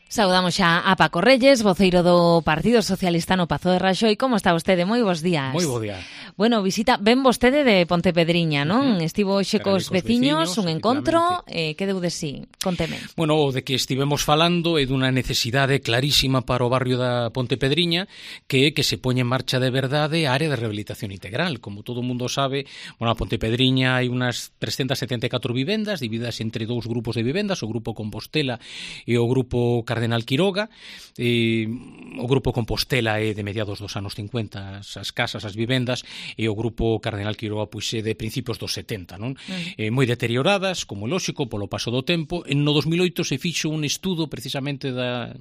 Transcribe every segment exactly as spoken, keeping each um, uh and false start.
Saudamos xa a Paco Reyes, voceiro do Partido Socialista no Pazo de Raxoi. Como está vostede? Moi bons días. Moi bo día. Bueno, visita, ven vostede de Pontepedriña, non? Uh-huh. Estivo xe cos veciños, veciños, un encontro, eh, que deu de sí? Conteme. Bueno, o de que estivemos falando é dunha necesidade clarísima para o barrio da Pontepedriña, que é que se poña en marcha de verdade a área de rehabilitación integral. Como todo o mundo sabe, bueno, a Pontepedriña hai unhas trescentas setenta e catro vivendas divididas entre dous grupos de vivendas, o grupo Compostela e o grupo Cardenal Quiroga. Eh, o grupo Compostela é de mediados dos anos cincuenta, as casas, as vivendas, e o grupo Cardenal Quiroga pois é de principios dos setenta, non? Mm. Eh, moi deterioradas, como lóxico, polo paso do tempo. En no dos mil oito se fixo un estudo precisamente da,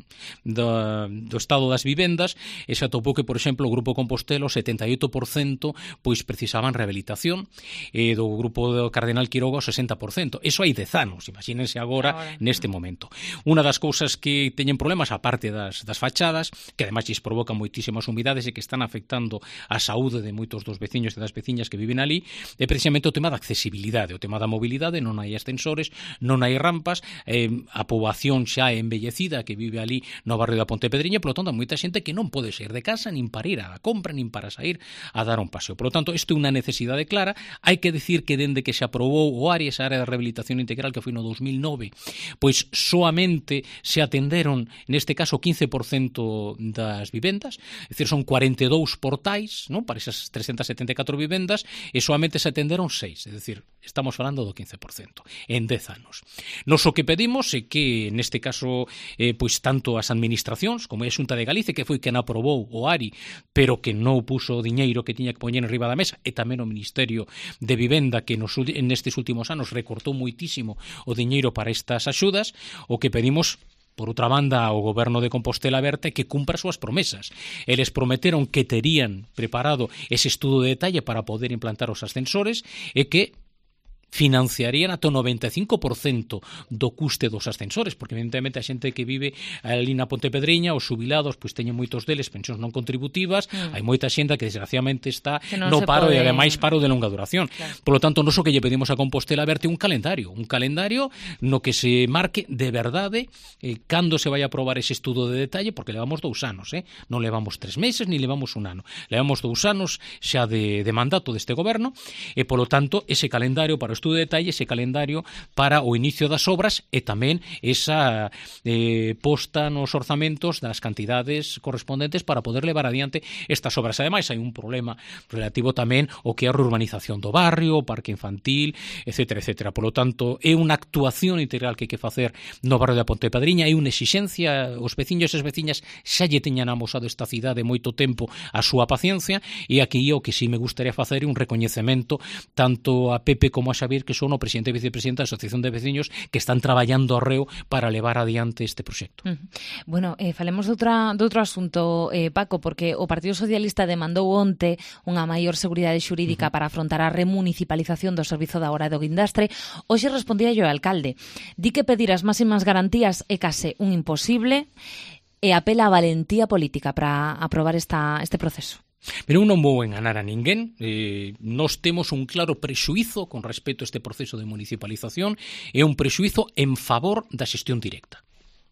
da, do estado das vivendas e se atopou que, por exemplo, o grupo Compostela, o setenta e oito por cento pois precisaban rehabilitación, e do grupo do Cardenal Quiroga o sesenta por cento. Eso hai dez anos, imagínense agora, agora. neste momento. Unha das cousas que teñen problemas, a parte das, das fachadas, que ademais lles provocan moitísimas humidades e que están afectando a saúde de moitos dos veciños e das veciñas que viven ali, é precisamente o tema da accesibilidade, o tema da mobilidade. Non hai ascensores, non hai rampas, eh, a poboación xa é envellecida que vive ali no barrio da Pontepedriña, polo tanto, moita xente que non pode sair de casa nin para ir á compra, nin para sair a dar un paseo. Polo tanto, isto é unha necesidade clara. Hai que decir que dende que se aprobou o área, esa área de rehabilitación integral que foi no dos mil nove, pois soamente se atenderon neste caso quince por cento das vivendas, é dicir, son cuarenta e dous portais, non, para esas trescentas setenta e catro vivendas, e soamente se atenderon seis, é dicir, estamos falando do quince por cento en dez anos. Nos o que pedimos é que neste caso eh, pois tanto as administracións como a Xunta de Galicia, que foi quen aprobou o A R I, pero que non puso o diñeiro que tiña que poñer en riba da mesa, e tamén o Ministerio de Vivenda, que nos, nestes últimos anos recortou moitísimo o diñeiro para estas axudas, o que pedimos por outra banda ao goberno de Compostela Aberta que cumpra as súas promesas. Eles prometeron que terían preparado ese estudo de detalle para poder implantar os ascensores e que financiarían ata o noventa e cinco por cento do custe dos ascensores, porque evidentemente a xente que vive ali na Pontepedriña, os xubilados, pois teñen moitos deles pensións non contributivas, mm. hai moita xente que desgraciadamente está no paro pode... e ademais paro de longa duración. Claro. Por lo tanto, non só que lle pedimos a Compostela Verte un calendario, un calendario no que se marque de verdade eh, cando se vai a aprobar ese estudo de detalle, porque levamos dous anos, eh? non levamos tres meses, ni levamos un ano, levamos dous anos xa de, de mandato deste goberno, e polo tanto, ese calendario para o estudo de detalle, ese calendario para o inicio das obras e tamén esa eh, posta nos orzamentos das cantidades correspondentes para poder levar adiante estas obras. Ademais, hai un problema relativo tamén ao que é a reurbanización do barrio, o parque infantil, etcétera, etcétera. Por lo tanto, é unha actuación integral que hai que facer no barrio da Pontepedriña, hai unha exixencia, os veciños e as veciñas xa lle teñan amosado esta cidade moito tempo a súa paciencia, e aquí o que sí me gustaría facer é un recoñecemento tanto a Pepe como a Xavier, que son o presidente e vicepresidente da Asociación de Veciños, que están traballando ao reo para levar adiante este proxecto. Uh-huh. Bueno, eh, falemos de, outra, de outro asunto, eh, Paco, porque o Partido Socialista demandou onte unha maior seguridade xurídica uh-huh. para afrontar a remunicipalización do servizo da hora do guindastre. Hoxe respondía yo ao alcalde. Di que pedir as máximas garantías é case un imposible e apela a valentía política para aprobar esta, este proceso. Pero eu non vou enganar a ninguén. Eh, nós temos un claro prexuízo con respecto a este proceso de municipalización, e un prexuízo en favor da xestión directa.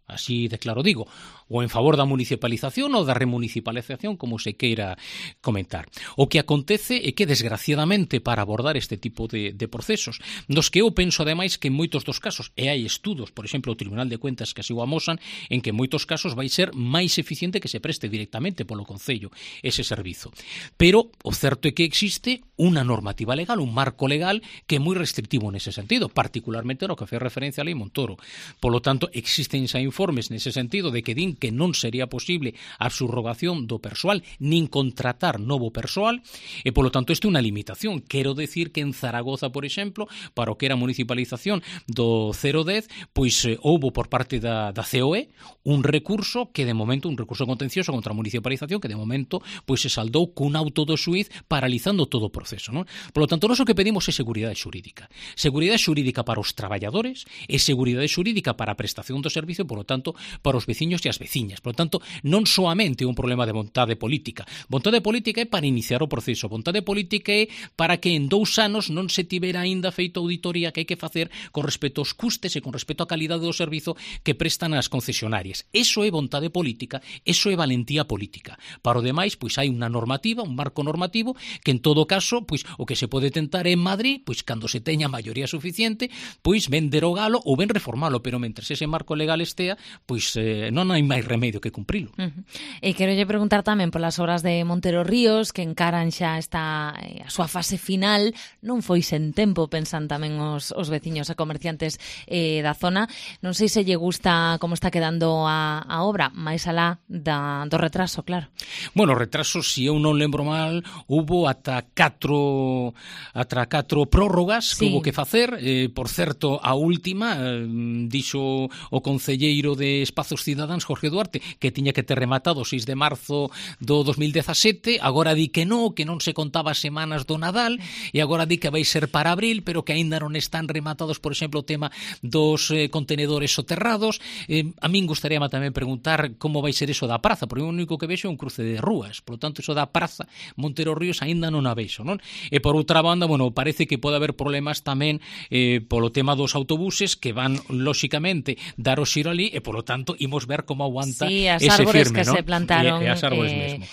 Así de claro digo, ou en favor da municipalización ou da remunicipalización, como se queira comentar. O que acontece é que, desgraciadamente, para abordar este tipo de, de procesos, nos que eu penso, ademais, que en moitos dos casos, e hai estudos, por exemplo, o Tribunal de Cuentas que así o amosan, en que en moitos casos vai ser máis eficiente que se preste directamente polo Concello ese servizo. Pero o certo é que existe unha normativa legal, un marco legal que é moi restrictivo nese sentido, particularmente no que fai referencia a Lei Montoro. Polo tanto, existen xa informes nese sentido de que din que non sería posible a subrogación do persoal nin contratar novo persoal, e polo tanto isto é unha limitación. Quero decir que en Zaragoza, por exemplo, para o que era a municipalización do cero dez, pois eh, houbo por parte da, da C O E un recurso que de momento, un recurso contencioso contra a municipalización que de momento pois se saldou cun auto do xuíz paralizando todo o proceso, non? Polo tanto, nós o que pedimos é seguridade xurídica. Seguridade xurídica para os traballadores e seguridade xurídica para a prestación do servicio, por lo tanto, para os veciños e as veciñas. Por lo tanto, non soamente un problema de vontade política. Vontade política é para iniciar o proceso. Vontade política é para que en dous anos non se tivera aínda feito auditoría que hai que facer con respecto aos custes e con respecto á calidade do servizo que prestan as concesionarias. Eso é vontade política, eso é valentía política. Para o demais, pois hai unha normativa, un marco normativo, que en todo caso, pois o que se pode tentar en Madrid, pois cando se teña maioría suficiente, pois ben derogalo ou ben reformalo, pero mentres ese marco legal estea, pois eh, non hai máis remedio que cumprilo. Uh -huh. E quero lle preguntar tamén polas obras de Montero Ríos, que encaran xa esta a súa fase final, non foi sen tempo, pensan tamén os, os veciños e comerciantes eh, da zona. Non sei se lle gusta como está quedando a, a obra, máis alá da, do retraso, claro. Bueno, retraso, se eu non lembro mal, hubo ata catro ata catro prórrogas que sí. hubo que facer. Eh, por certo, a última, eh, dixo o concelleiro de Espazos Cidadáns, Jorge Duarte, que tiña que ter rematado o seis de marzo do dos mil dezasete, agora di que non, que non se contaba semanas do Nadal, e agora di que vai ser para abril, pero que aínda non están rematados, por exemplo, o tema dos eh, contenedores soterrados. Eh, a min gustaríame tamén preguntar como vai ser eso da praza, porque o único que vexo é un cruce de rúas, por lo tanto, eso da praza Montero Ríos aínda non a vexo, non? E por outra banda, bueno, parece que pode haber problemas tamén eh, polo tema dos autobuses que van, lóxicamente, dar o xiro ali e, polo tanto, imos ver como aguanta sí, as ese árbores firme, que ¿no? se plantaron. E, e as árbores eh, mesmo.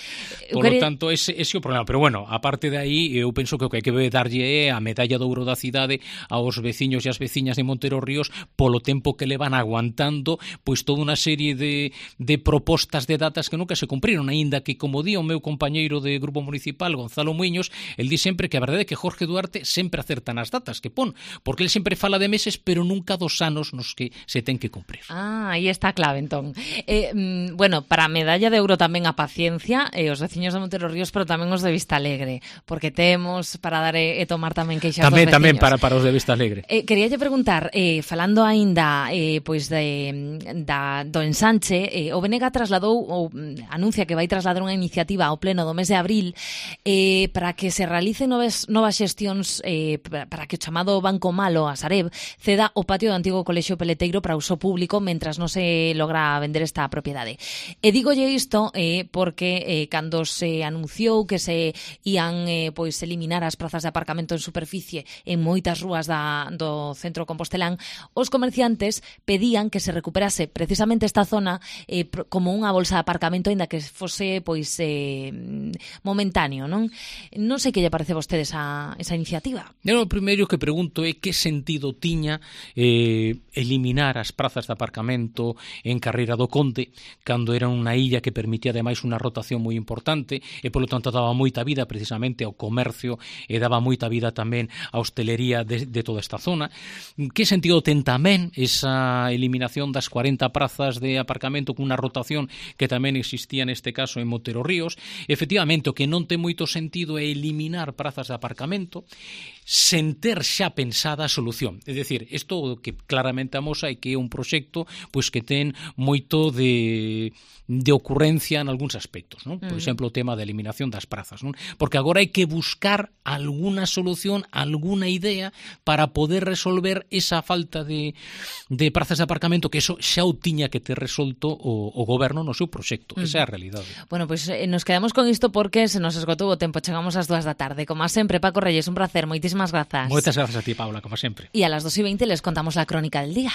Por lo tanto, ese, ese é o problema. Pero, bueno, aparte de aí, eu penso que o que hai que darlle é a medalla de ouro da cidade aos veciños e as veciñas de Montero Ríos polo tempo que le van aguantando pois toda unha serie de, de propostas de datas que nunca se cumpriron, aínda que, como di o meu compañeiro de Grupo Municipal, Gonzalo Muiños, el di sempre que a verdade é que Jorge Duarte sempre acerta nas datas que pon, porque el sempre fala de meses, pero nunca dos anos nos que se ten que cumprir. Ah, aí está a clave, entón. Eh, mm, bueno, para a medalla de ouro tamén a paciencia, e eh, os veciños de Montero Ríos, pero tamén os de Vista Alegre, porque temos para dar e, e tomar tamén queixas tamén, dos veciños. Tamén para, para os de Vista Alegre. Eh, queríalle preguntar, eh, falando aínda eh, pois de, da, do ensanche, eh, o B N G trasladou, ou anuncia que vai trasladar unha iniciativa ao pleno do mes de abril eh, para que se realicen novas, novas xestións eh, para que o chamado Banco Malo, a Sareb, ceda o patio do antigo colexio Peleteiro para uso público mentras non se logra vender esta propiedade. E dígolle isto eh, porque eh, cando se anunciou que se ían eh, pois eliminar as prazas de aparcamento en superficie en moitas rúas da, do centro compostelán, os comerciantes pedían que se recuperase precisamente esta zona eh, como unha bolsa de aparcamento, aínda que fose pois eh, momentáneo, non? Non sei que lle parece a vostede esa, esa iniciativa. Eu o primeiro que pregunto é que sentido tiña eh, eliminar as prazas de aparcamento en Carreira do Conde, cando era unha illa que permitía ademais unha rotación moi importante e polo tanto daba moita vida precisamente ao comercio e daba moita vida tamén á hostelería de, de toda esta zona. Que sentido ten tamén esa eliminación das cuarenta prazas de aparcamento con unha rotación que tamén existía neste caso en Montero Ríos? Efectivamente, o que non ten moito sentido é eliminar prazas de aparcamento sen ter xa pensada a solución. É dicir, isto que claramente amosa é que é un proxecto pois que ten moito de, de ocurrencia en algúns aspectos, non? Por exemplo, o tema da eliminación das prazas, non? Porque agora hai que buscar alguna solución, alguna idea para poder resolver esa falta de, de prazas de aparcamento, que eso xa o tiña que ter resolto o, o goberno no seu proxecto. Esa é a realidade. Bueno, pois pues, eh, nos quedamos con isto porque se nos esgotou o tempo. Chegamos ás dúas da tarde. Como sempre, Paco Reyes, un placer. Moitísimas grazas. Moitas grazas a ti, Paula, como sempre. E a las dos y veinte les contamos la crónica del día.